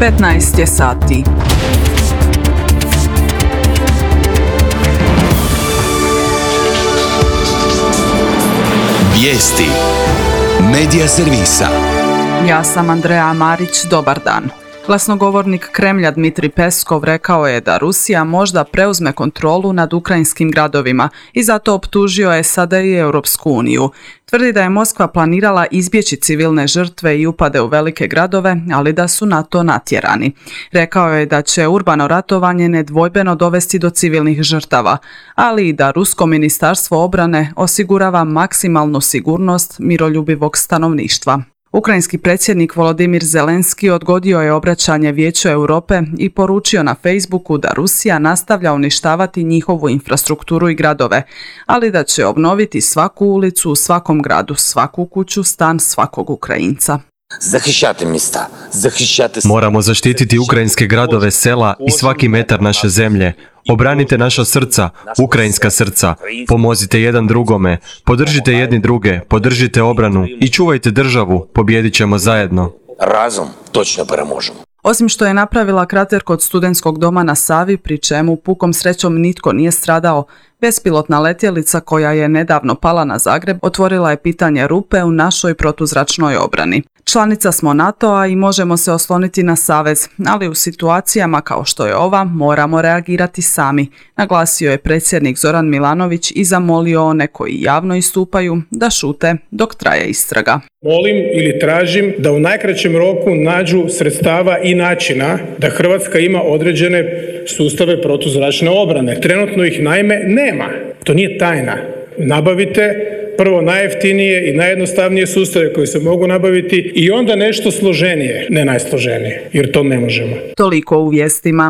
15 je sati. Vijesti Medija servisa. Ja sam Andreja Marić, dobar dan. Glasnogovornik Kremlja Dmitrij Peskov rekao je da Rusija možda preuzme kontrolu nad ukrajinskim gradovima i zato optužio SAD i Europsku uniju. Tvrdi da je Moskva planirala izbjeći civilne žrtve i upade u velike gradove, ali da su na to natjerani. Rekao je da će urbano ratovanje nedvojbeno dovesti do civilnih žrtava, ali i da Rusko ministarstvo obrane osigurava maksimalnu sigurnost miroljubivog stanovništva. Ukrajinski predsjednik Volodimir Zelenski odgodio je obraćanje Vijeću Europe i poručio na Facebooku da Rusija nastavlja uništavati njihovu infrastrukturu i gradove, ali da će obnoviti svaku ulicu u svakom gradu, svaku kuću, stan svakog Ukrajinca. Moramo zaštititi ukrajinske gradove, sela i svaki metar naše zemlje. Obranite naša srca, ukrajinska srca. Pomozite jedan drugome, podržite jedni druge, podržite obranu i čuvajte državu, pobijedit ćemo zajedno. Razum točno premožemo. Osim što je napravila krater kod studentskog doma na Savi, pri čemu pukom srećom nitko nije stradao, bespilotna letjelica koja je nedavno pala na Zagreb otvorila je pitanje rupe u našoj protuzračnoj obrani. Članica smo NATO-a i možemo se osloniti na savez, ali u situacijama kao što je ova moramo reagirati sami, naglasio je predsjednik Zoran Milanović i zamolio one koji javno istupaju da šute dok traje istraga. Molim ili tražim da u najkraćem roku nađu sredstava i načina da Hrvatska ima određene sustave protuzračne obrane. Trenutno ih naime nema. To nije tajna. Nabavite prvo najjeftinije i najjednostavnije sustave koji se mogu nabaviti i onda nešto složenije, ne najsloženije, jer to ne možemo. Toliko u vijestima.